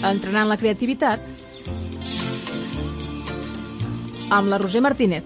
Entrenant la creativitat amb la Roser Martínez.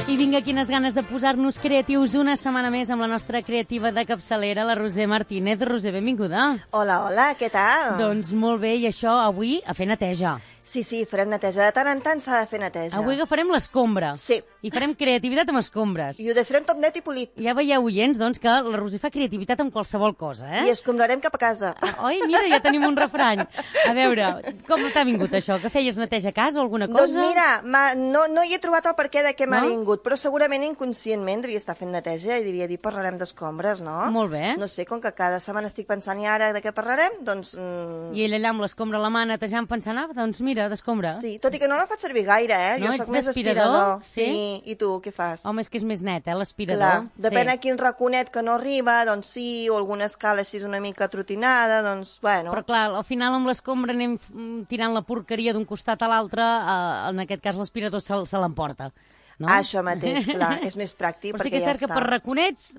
I vinga, quines ganes de posar-nos creatius una setmana més amb la nostra creativa de capçalera, la Roser Martínez. Roser, benvinguda. Hola, hola, què tal? Doncs molt bé, i això avui a fer neteja. Sí, farem neteja. De tant en tant s'ha de fer neteja. Avui agafarem l'escombra. Sí. I farem creativitat amb escombres. I ho deixarem tot net i polit. Ja veieu, oients, doncs, que la Roser fa creativitat amb qualsevol cosa, I escombrarem cap a casa. Oi, mira, ja tenim un refrany. A veure, com t'ha vingut això? Que feies neteja a casa o alguna cosa? Doncs mira, no hi he trobat el perquè de què m'ha vingut, però segurament inconscientment devia estar fent neteja i devia dir parlarem d'escombres, no? Molt bé. No sé, com que cada setmana estic pensant i ara de què parlarem, doncs... I ell allà amb l'escombra a la mà netejant pensant, doncs mira, d'escombra. Sí, tot i que no la faig servir gaire, No, jo ets soc més d'aspirador? aspirador. Sí, i tu, què fas? Home, és que és més net, l'aspirador. Clar, depèn a quin raconet que no arriba, doncs sí, o alguna escala així una mica trotinada, doncs, bueno... Però clar, al final amb l'escombra anem tirant la porqueria d'un costat a l'altre, en aquest cas l'aspirador se l'emporta. No? Això mateix, clar, és més pràctic, però sí perquè que és ja cert que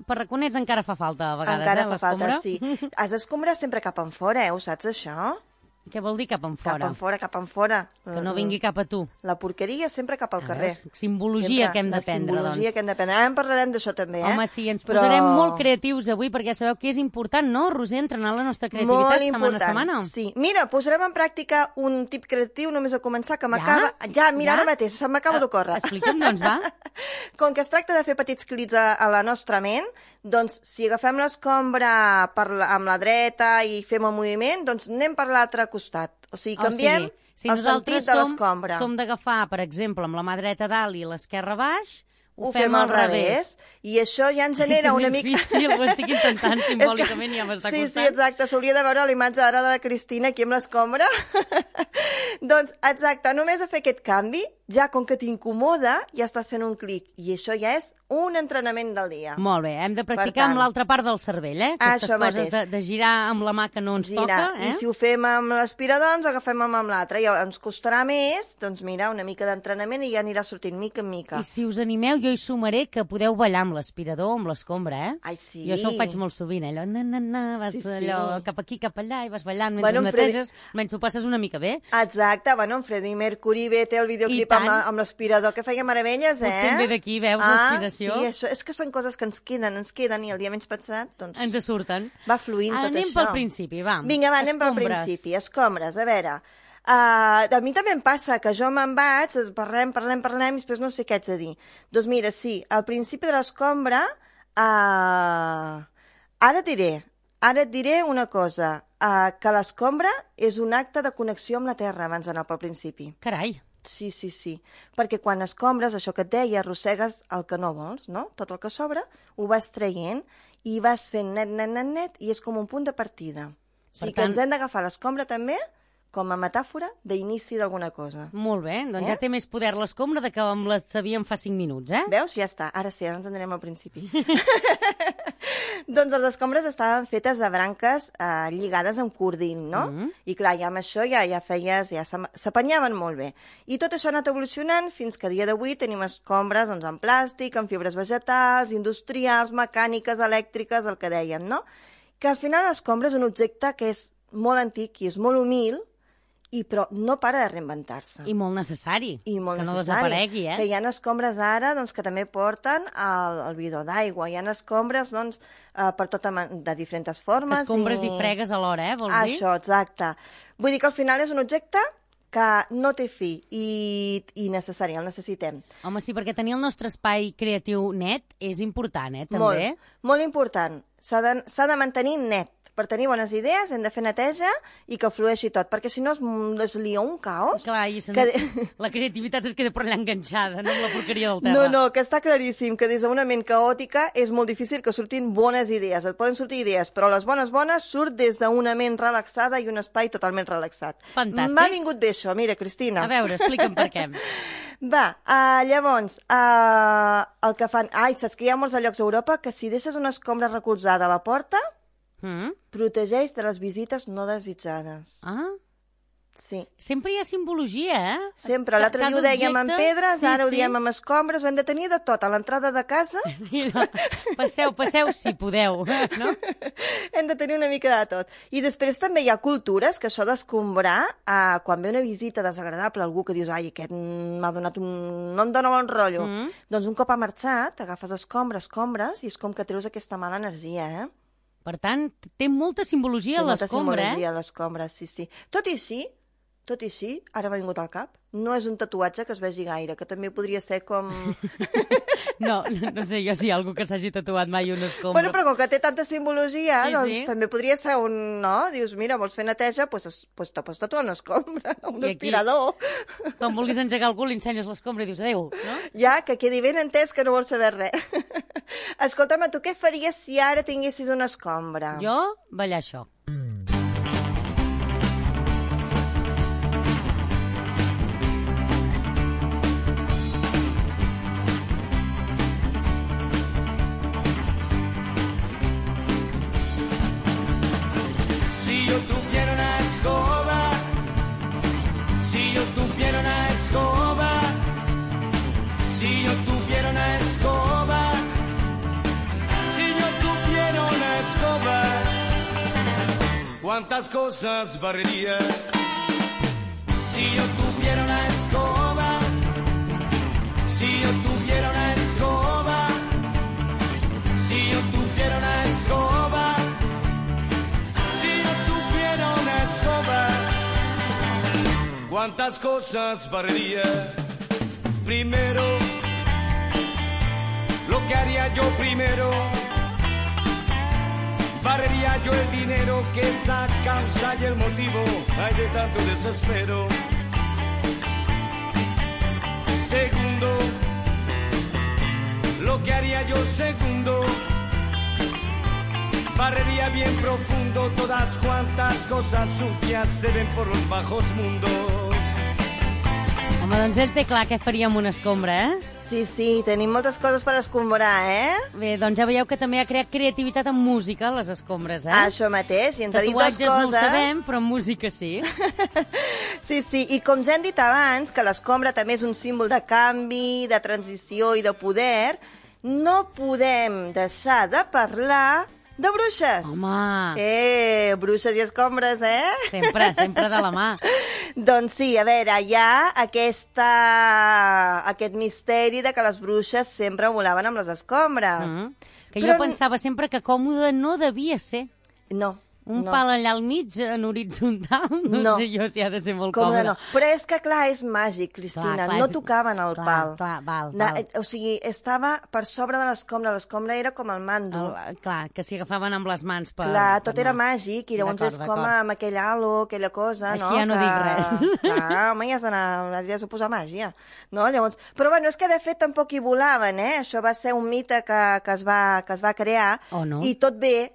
per raconets encara fa falta a vegades, encara fa l'escombra. falta, sí. Has d'escombrar sempre cap enfora, ho saps, això? Què vol dir cap enfora? Cap enfora. Que no vingui cap a tu. La porqueria sempre cap al carrer. Simbologia que hem d'aprendre, doncs. Simbologia que hem d'aprendre. Ara en parlarem d'això també, Home, sí, ens posarem molt creatius avui, perquè ja sabeu que és important, no, Roser, entrenar la nostra creativitat setmana a setmana. Sí. Mira, posarem en pràctica un tip creatiu només a començar, que m'acaba... Mira, ara mateix, se m'acaba d'ocórrer. Explica'm, doncs, va. Com que es tracta de fer petits clics a la nostra ment, doncs si agafem l'escombra amb la dreta i fem el moviment, doncs anem per l'altre costat. O sigui, canviem el sentit de l'escombra. Som d'agafar, per exemple, amb la mà dreta dalt i l'esquerra baix, ho fem al revés. I això ja ens genera una mica... Difícil, ho estic intentant simbòlicament i ja m'està costant. Sí, exacte, s'hauria de veure la imatge ara de la Cristina aquí amb l'escombra. Doncs, exacte, només a fer aquest canvi, ja com que t'incomoda, ja estàs fent un clic. I això ja és un entrenament del dia. Molt bé, hem de practicar amb l'altra part del cervell, Aquestes coses de girar amb la mà que no ens toca. I si ho fem amb l'aspirador, doncs agafem amb l'altre. I ens costarà més, doncs mira, una mica d'entrenament i ja anirà sortint mica en mica. I si us animeu, jo hi sumaré que podeu ballar amb l'aspirador o amb l'escombra, Ai, sí. Jo això ho faig molt sovint, allò, vas allò cap aquí, cap allà, i vas ballant mentre neteges, menys ho passes una mica bé. Exacte, en Freddie Mercury ve, té el videoclip amb l'aspirador, que feia meravelles, Potser em ve d'aquí, veus, l'aspiració. Sí, això, és que són coses que ens queden, i el dia menys pensat, doncs... Ens surten. Va fluint tot això. Anem pel principi, va. Vinga, va, anem pel principi. Escombres, a veure... a mi també em passa que jo me'n vaig, parlem, i després no sé què haig de dir. Doncs mira, sí, al principi de l'escombra, ara et diré una cosa, que l'escombra és un acte de connexió amb la terra abans d'anar pel principi. Carai. Sí, perquè quan escombres, això que et deia, arrossegues el que no vols, no? Tot el que sobra, ho vas traient i vas fent net, i és com un punt de partida. O sigui que ens hem d'agafar l'escombra també com a metàfora d'inici d'alguna cosa. Molt bé, doncs ja té més poder l'escombra que amb la sabíem fa 5 minuts, Veus? Ja està, ara sí, ara ens en anem al principi. Doncs les escombres estaven fetes de branques lligades amb cordín, no? I clar, ja amb això ja s'apanyaven molt bé. I tot això ha anat evolucionant fins que a dia d'avui tenim escombres en plàstic, en fibres vegetals, industrials, mecàniques, elèctriques, el que dèiem, no? Que al final l'escombra és un objecte que és molt antic i és molt humil, però no para de reinventar-se. I molt necessari. Que no desaparegui, Que hi ha escombres ara que també porten el bidó d'aigua. Hi ha escombres per de diferents formes. Que escombres i fregues alhora, vols dir? Això, exacte. Vull dir que al final és un objecte que no té fi i necessari, el necessitem. Home, sí, perquè tenir el nostre espai creatiu net és important, també. Molt important. S'ha de mantenir net. Per tenir bones idees hem de fer neteja i que flueixi tot, perquè si no es lia un caos. Clar, i la creativitat es queda per allà enganxada, no amb la porqueria del terra. No, que està claríssim que des d'una ment caòtica és molt difícil que surtin bones idees. Et poden sortir idees, però les bones surt des d'una ment relaxada i un espai totalment relaxat. Fantàstic. M'ha vingut bé això, mira, Cristina. A veure, explica'm per què. Va, llavors, el que fan... saps que hi ha molts llocs a Europa que si deixes una escombra recolzada a la porta, protegeix de les visites no desitjades. Sí. Sempre hi ha simbologia, eh? Sempre. L'altre dia ho dèiem amb pedres, ara ho diem amb escombres, ho hem de tenir de tot. A l'entrada de casa Sí, no. Passeu, si podeu, no? hem de tenir una mica de tot. I després també hi ha cultures que això d'escombrar, quan ve una visita desagradable, algú que dius, ai, aquest m'ha donat no em dona bon rotllo. Doncs un cop ha marxat, agafes escombres, i és com que treus aquesta mala energia, eh? Per tant, té molta simbologia a l'escombra, Té molta simbologia a l'escombra, sí. Tot i així, ara m'ha vingut al cap, no és un tatuatge que es vegi gaire, que també podria ser com... No sé jo si hi ha algú que s'hagi tatuat mai una escombra. Bueno, però com que té tanta simbologia, Sí. també podria ser un... No? Dius, mira, vols fer neteja? Doncs te pots tatuar una escombra, un aspirador. Quan vulguis engegar algú, li ensenyes l'escombra i dius adéu, no? Ja, que quedi ben entès que no vols saber res. Escolta'm, tu què faries si ara tinguessis una escombra? Jo, ballar això. Si yo tuviera una escoba, si yo tuviera una escoba, si yo tuviera una escoba, si yo tuviera una escoba, cuántas cosas barrería. Si yo tuviera una escoba, si yo tuviera una escoba, si yo tuviera una escoba, cuántas cosas barrería. Primero, lo que haría yo primero, barrería yo el dinero que es la causa y el motivo hay de tanto desespero. Segundo, lo que haría yo segundo, barrería bien profundo todas cuantas cosas sucias se ven por los bajos mundos. Home, doncs ell té clar què faria amb una escombra, eh? Sí, tenim moltes coses per escombrar, eh? Bé, doncs ja veieu que també ha creat creativitat en música, les escombres, eh? Això mateix, i ens ha dit dues Tatuatges coses. no ho sabem, però en música sí. Sí, i com ja hem dit abans, que l'escombra també és un símbol de canvi, de transició i de poder, no podem deixar de parlar de bruixes. Home! Bruixes i escombres, eh? Sempre de la mà. Doncs sí, a veure, hi ha aquest misteri de que les bruixes sempre volaven amb les escombres. Que jo pensava sempre que còmode no devia ser. No. Un pal allà al mig, en horitzontal, no sé jo si ha de ser molt còmode. No. Però és que, clar, és màgic, Cristina. No tocaven el pal. Val. O sigui, estava per sobre de l'escombra. L'escombra era com el mando. Clar, que s'hi agafaven amb les mans per... Clar, tot era màgic, i llavors és com amb aquell halo, aquella cosa, no? Així ja no dic res. Clar, home, ja s'ho posa màgia, no? Llavors... Però bueno, és que de fet tampoc hi volaven, eh? Això va ser un mite que es va crear. O no. I tot bé...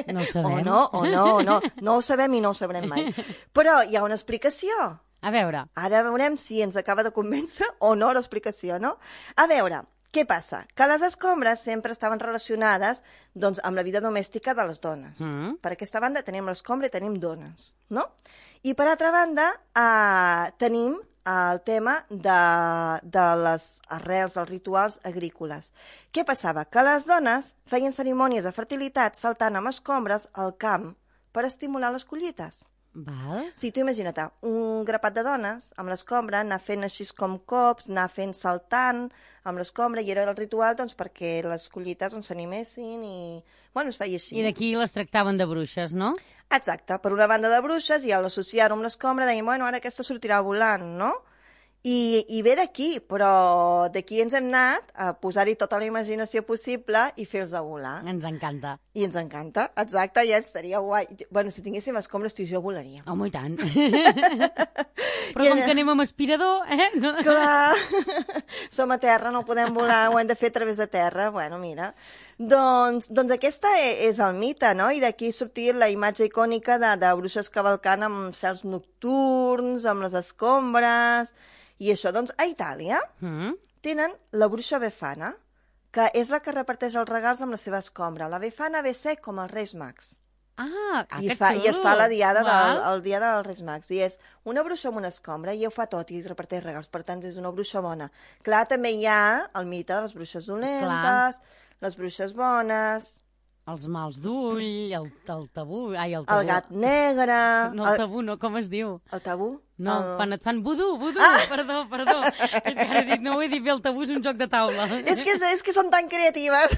No ho sabem. O no. No ho sabem i no ho sabrem mai. Però hi ha una explicació. A veure. Ara veurem si ens acaba de convèncer o no l'explicació, no? A veure, què passa? Que les escombres sempre estaven relacionades doncs, amb la vida domèstica de les dones. Per aquesta banda tenim l'escombra i tenim dones, no? I per altra banda tenim el tema de les arrels, els rituals agrícoles. Què passava? Que les dones feien cerimònies de fertilitat saltant amb escombres al camp per estimular les collites. Val. Sí, tu imagina't, un grapat de dones amb l'escombra, anar fent així com cops, anar fent saltant amb l'escombra, i era el ritual doncs, perquè les collites s'animessin i... Bueno, es feia així. I d'aquí les tractaven de bruixes, no? Exacte, per una banda de bruixes, i al associar-ho amb l'escombra deien, bueno, ara aquesta sortirà volant, no? I ve d'aquí, però d'aquí ens hem anat a posar-hi tota la imaginació possible i fer-los a volar. Ens encanta. I ens encanta, exacte, ja estaria guai. Bueno, si tinguéssim escombres, tu i jo volaríem. Home, i tant. Però com que anem amb aspirador, No? Clar, som a terra, no podem volar, ho hem de fer a través de terra. Bueno, mira, doncs aquesta és el mite, no? I d'aquí sortir la imatge icònica de bruixes cavalcant amb cels nocturns, amb les escombres... I això, doncs, a Itàlia tenen la bruixa Befana, que és la que reparteix els regals amb la seva escombra. La Befana ve ser com els Reis Mags. I es fa la diada el dia dels Reis Mags. I és una bruixa amb una escombra i ho fa tot i reparteix regals. Per tant, és una bruixa bona. Clar, també hi ha el mite de les bruixes dolentes, les bruixes bones... Els mals d'ull, el tabú... El gat negre... No, el tabú no, com es diu? El tabú? No, quan et fan vudú, perdó. És que ara he dit, no ho he dit bé, el tabú és un joc de taula. És que són tan creatives.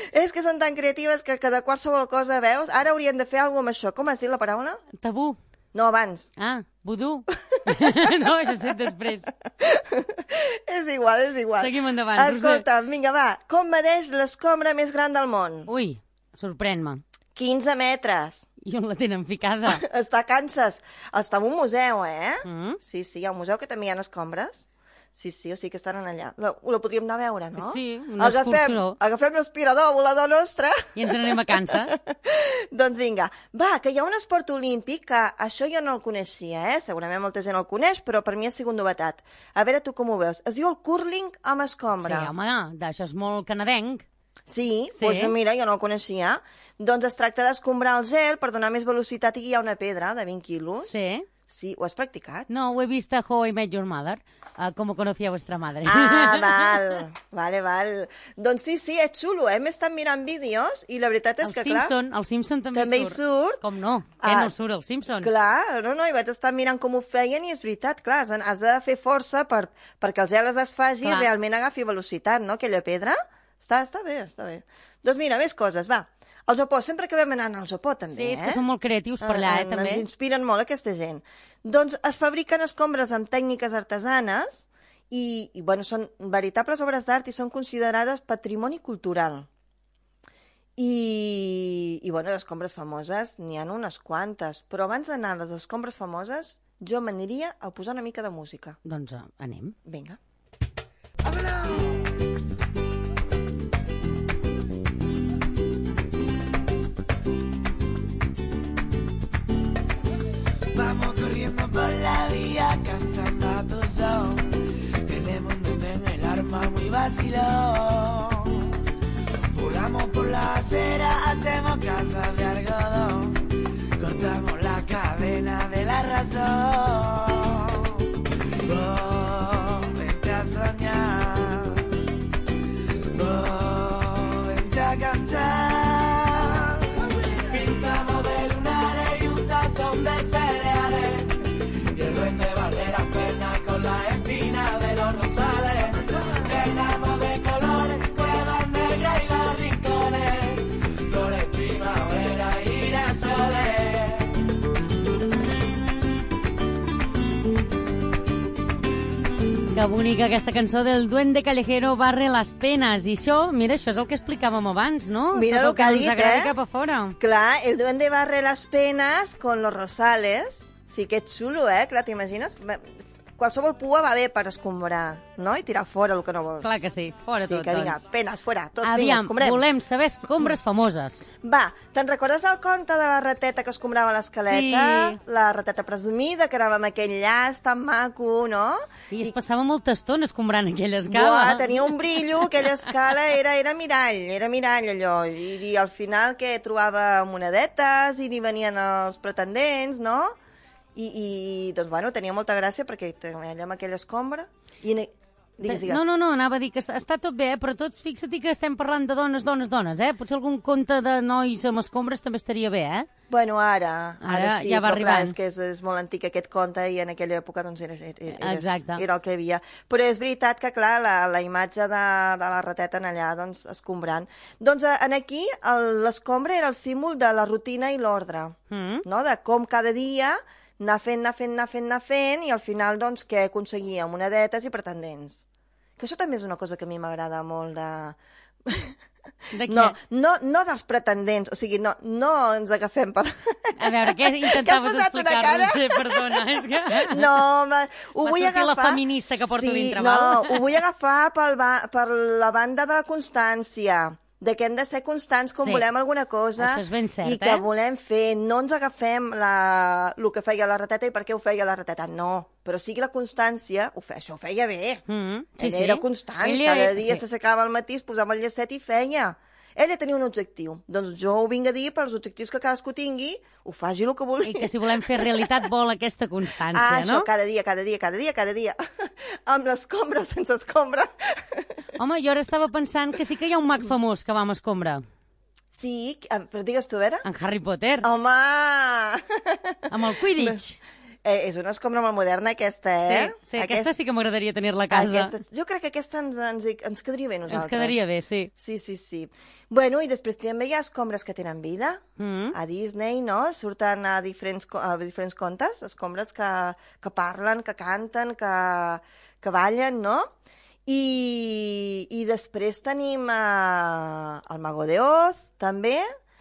És que són tan creatives que de qualsevol cosa, veus? Ara hauríem de fer alguna cosa amb això. Com has dit la paraula? Tabú. No, abans. Vudú. No, això sé després. És igual. Seguim endavant, Roser. Escolta, vinga, va. Com medeix l'escombra més gran del món? Ui, sorprèn-me. 15 metres. I on la tenen ficada? Està a Kansas. Està en un museu, Sí, hi ha un museu que també hi ha escombres. Sí, o sigui que estan allà. La podríem anar a veure, no? Sí, una excursió. Agafem l'aspirador volador nostre. I ens n'anem a Kansas. Doncs vinga. Va, que hi ha un esport olímpic que això jo no el coneixia, Segurament molta gent el coneix, però per mi ha sigut novetat. A veure tu com ho veus. Es diu el curling amb escombra. Sí, home, això és molt canadenc. Sí, doncs mira, jo no el coneixia. Doncs es tracta d'escombrar el gel per donar més velocitat i hi ha una pedra de 20 quilos. Sí, ho has practicat? No, ho he vist a How I Met Your Mother, com ho conocía vuestra madre. Val. Doncs sí, és xulo, M'he estat mirant vídeos i la veritat és que, clar... El Simpson també hi surt. Com no? Què no surt el Simpson? Clar, no, i vaig estar mirant com ho feien i és veritat, clar, has de fer força perquè el gel es desfaci i realment agafi velocitat, no?, aquella pedra. Està bé. Doncs mira, més coses, va. El Japó, sempre acabem anant al Japó, també, Sí, és que són molt creatius per allà, també. Ens inspiren molt aquesta gent. Doncs es fabriquen escombres amb tècniques artesanes i bueno, són veritables obres d'art i són considerades patrimoni cultural. I bueno, les escombres famoses n'hi ha unes quantes, però abans d'anar a les escombres famoses jo m'aniria a posar una mica de música. Doncs anem. Vinga. Vamos corriendo por la vía cantando a tu son. Tenemos un duende en el arma muy vacilón. Volamos por la acera, hacemos casas de algodón. Cortamos la cadena de la razón. Oh, vente a soñar. Oh, vente a cantar. Pintamos de lunares y un tazón de cereales. Y el duende barre las penas con la espina de los rosales. Llenamos de colores cuevas negras y los rincones. Flores primavera y girasoles. Que bonica aquesta cançó del Duende Callejero barre les penes. I això, mira, això és el que explicàvem abans, no? Mira el que ha dit, ens agrada cap a fora. Clar, el duende barre las penas con los rosales. Sí que és xulo, Clar, t'imagines? Qualsevol pua va bé per escombrar, no? I tirar fora el que no vols. Clar que sí, fora tot, que vinga, doncs. penes, fora, tot, vinga, Aviam, escombrem. volem saber escombres famoses. Va, te'n recordes el conte de la rateta que escombrava l'escaleta? Sí. La rateta presumida, que anava amb aquell llaç tan maco, no? I es passava molta estona escombrant aquella escala. Buah, tenia un brillo, aquella escala era mirall allò, i al final que trobava monedetes i n'hi venien els pretendents, no? I doncs, bueno, tenia molta gràcia perquè allà amb aquella escombra... Digues. No, anava a dir que està tot bé, però tot, fixa't que estem parlant de dones, Potser algun conte de nois amb escombres també estaria bé, Bueno, ara sí, ja va però arribant. Clar, és molt antic aquest conte i en aquella època doncs era el que hi havia. Però és veritat que, clar, la imatge de la rateta en allà, doncs, escombrant. Doncs aquí l'escombra era el símbol de la rutina i l'ordre, no? De com cada dia anar fent, i al final, doncs, que aconseguia monedetes i pretendents. Que això també és una cosa que a mi m'agrada molt de... De què? No dels pretendents, o sigui, no ens agafem per... A veure, què intentaves explicar-nos? Perdona, és que... No, ho vull agafar... la feminista que porto dintre, val? No, ho vull agafar per la banda de la constància, de que hem de ser constants quan volem alguna cosa. Això és ben cert, i que volem fer. No ens agafem el que feia la rateta i per què ho feia la rateta. No, però sigui la constància, això ho feia bé. Ella era constant, cada dia s'aixecava al matí, es posava el llacet i feia. ella tenia un objectiu. Doncs jo ho vinc a dir per als objectius que cadascú tingui, ho faci el que vulgui. I que si volem fer realitat vol aquesta constància, això, no? cada dia. Amb l'escombra o sense escombra. Home, jo ara estava pensant que sí que hi ha un mag famós que va amb escombra. Sí, però digues tu, a veure. En Harry Potter. Home! Amb el Quidditch. És una escombra molt moderna, aquesta, eh? Sí, aquesta sí que m'agradaria tenir-la a casa. Jo crec que aquesta ens quedaria bé a nosaltres. Ens quedaria bé, sí. Sí. Bueno, i després també hi ha escombres que tenen vida. A Disney, no? Surten a diferents contes, escombres que parlen, que canten, que ballen, no? I després tenim el Mago de Oz, també,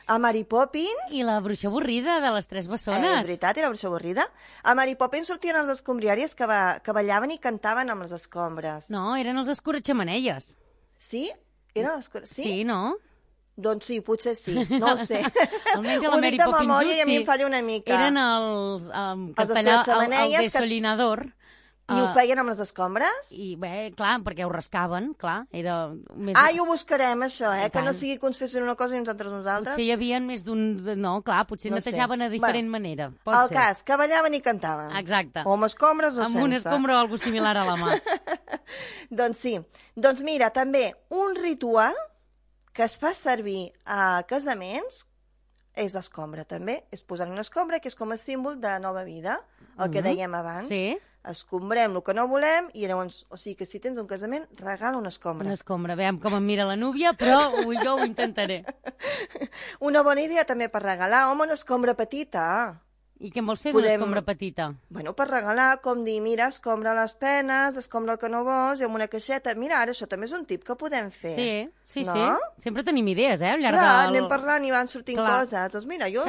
a Mary Poppins. I la bruixa avorrida de les Tres Bessones. És veritat, i la bruixa avorrida. A Mary Poppins sortien els escombriaris que ballaven i cantaven amb les escombres. No, eren els escurratxamanelles. Sí? Eren les... Sí, no? Doncs sí, potser sí, no ho sé. Almenys a la Mary Poppins ho dic de memòria i a mi em falla una mica. Eren els castellà, el desolinador. I ho feien amb les escombres? I bé, clar, perquè ho rascaven, clar. Era més... I ho buscarem, això, que no sigui que uns fessin una cosa i uns altres uns altres. Potser hi havia més d'un... No, clar, potser no netejaven a diferent manera. El cas, que ballaven i cantaven. Exacte. O amb escombres o sense. Amb una escombra o alguna similar a la mà. Doncs sí. Doncs mira, també un ritual que es fa servir a casaments és l'escombra, també. És posar una escombra, que és com a símbol de nova vida, el que dèiem abans. Sí. Escombrem el que no volem i llavors, o sigui que si tens un casament, regala una escombra. Una escombra, veiem com em mira la núvia, però jo ho intentaré. Una bona idea també per regalar, home, una escombra petita. I què en vols fer d'una escombra petita? Bueno, per regalar, com dir, mira, escombra les penes, escombra el que no vols, i amb una caixeta. Mira, ara això també és un tip que podem fer. Sí. No? Sí. Sempre tenim idees, al llarg del... anem parlant i van sortint coses. Doncs mira, jo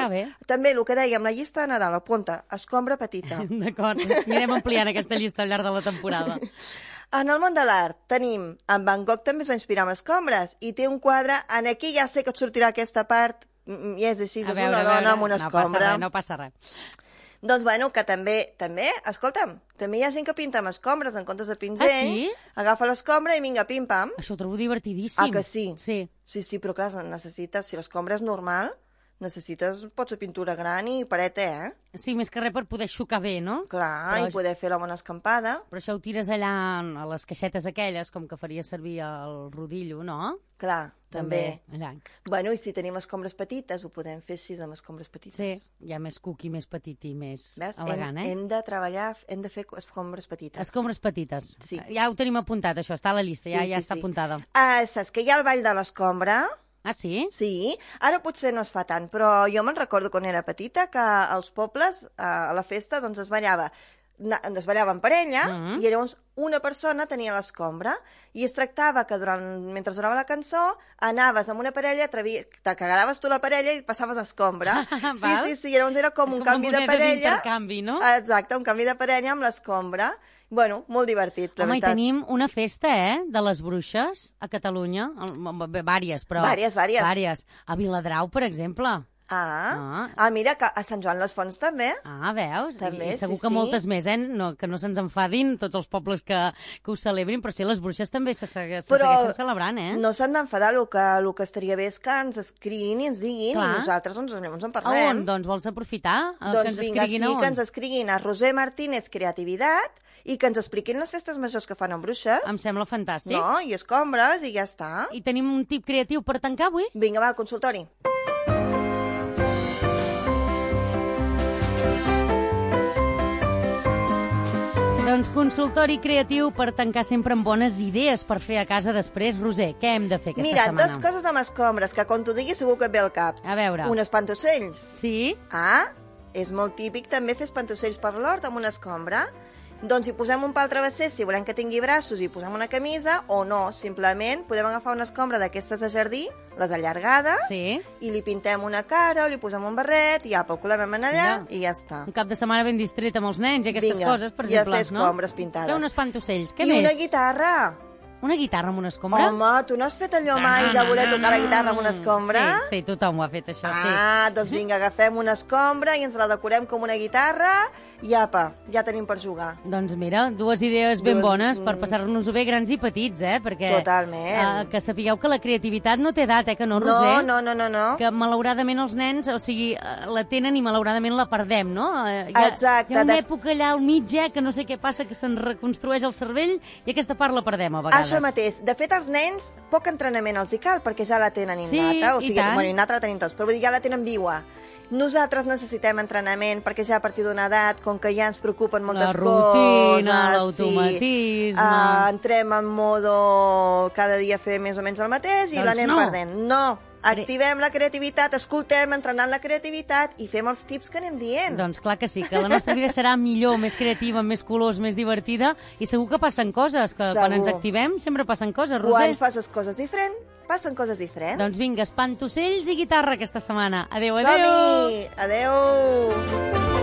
també el que dèiem, la llista de Nadal, apunta, escombra petita. D'acord, anirem ampliant aquesta llista al llarg de la temporada. En el món de l'art tenim, en Van Gogh també es va inspirar amb escombres, i té un quadre, en aquí ja sé que et sortirà aquesta part, i és així, és una dona amb una escombra. No passa res. Doncs, bueno, que també, escolta'm, també hi ha gent que pinta amb escombres en comptes de pinzells, agafa l'escombra i vinga, pim-pam. Això ho trobo divertidíssim. Que sí? Sí, però clar, necessites, si l'escombra és normal, pots fer pintura gran i pareta, Sí, més que res per poder xocar bé, no? Clar, i poder fer la bona escampada. Però això ho tires allà a les caixetes aquelles, com que faria servir el rodillo, no? Clar, també. Allà. Bueno, i si tenim escombres petites, ho podem fer així amb escombres petites. Sí, ja més cookie, més petit i més elegant, Hem de treballar, hem de fer escombres petites. Escombres petites. Sí. Ja ho tenim apuntat, això, està a la llista, ja està apuntada. Saps que hi ha el ball de l'escombra? Ah, sí? Sí. Ara potser no es fa tant, però jo me'n recordo quan era petita que als pobles, a la festa, doncs es ballava en parella i llavors una persona tenia l'escombra i es tractava que mentre durava la cançó anaves amb una parella, t'agradaves tu la parella i passaves escombra. Sí, llavors era com un canvi de parella. D'intercanvi, no? Exacte, un canvi de parella amb l'escombra. Bueno, molt divertit, la veritat. Home, i tenim una festa, de les bruixes a Catalunya. Vàries, però... Vàries. A Viladrau, per exemple. Mira, que a Sant Joan les Fonts també. Veus? També, I segur que moltes més, que no se'ns enfadin tots els pobles que ho celebrin, però sí, les bruixes també se segueixen celebrant, no s'han d'enfadar, el que estaria bé és que ens escriguin i ens diguin, i nosaltres ens en parlem. A on? Doncs vols aprofitar? Doncs vinga, sí, que ens escriguin a Roser Martínez Creativitat i que ens expliquin les festes majors que fan amb bruixes. Em sembla fantàstic. No, i escombres, i ja està. I tenim un tip creatiu per tancar avui? Vinga, va, al consultori. Doncs consultori creatiu per tancar sempre amb bones idees per fer a casa després. Roser, què hem de fer aquesta setmana? Mira, 2 coses amb escombres, que quan t'ho diguis segur que et ve al cap. A veure. Un espantocells. Sí? És molt típic també fer espantocells per l'hort amb una escombra. Doncs hi posem un pal travesser, si volem que tingui braços, hi posem una camisa, o no, simplement podem agafar una escombra d'aquestes de jardí, les allargades, i li pintem una cara, o li posem un barret, i apa, ho col·lem allà, i ja està. Un cap de setmana ben distret amb els nens i aquestes coses, per exemple, no? I a fer escombres pintades. Fer un espantocells, què més? I una guitarra. Una guitarra amb una escombra? Home, tu no has fet allò mai de voler tocar la guitarra amb una escombra? Sí, tothom ho ha fet, això, sí. Doncs vinga, agafem una escombra i ens la decorem com una guitarra i apa, ja tenim per jugar. Doncs mira, dues idees ben bones per passar-nos-ho bé, grans i petits, perquè... Totalment. Que sapigueu que la creativitat no té edat, que no, Roser? No. Que malauradament els nens, o sigui, la tenen i malauradament la perdem, no? Exacte. Hi ha una època allà al mig, que no sé què passa, que se'n reconstrueix el cervell i aquesta part la perdem a vegades. Això mateix. De fet, als nens, poc entrenament els hi cal, perquè ja la tenen innata. Sí, i tant. Bueno, innata la tenim tots, però vull dir, ja la tenen viva. Nosaltres necessitem entrenament, perquè ja a partir d'una edat, com que ja ens preocupen moltes coses... La rutina, l'automatisme... Entrem en modo cada dia fer més o menys el mateix i l'anem perdent. No! Activem la creativitat, escoltem, entrenant la creativitat i fem els tips que anem dient. Doncs clar que sí, que la nostra vida serà millor, més creativa, més colors, més divertida i segur que passen coses, que quan ens activem sempre passen coses, Roser. Quan fas les coses diferent, passen coses diferents. Doncs vinga, espantocells i guitarra aquesta setmana. Adéu, adéu! Som-hi! Adéu!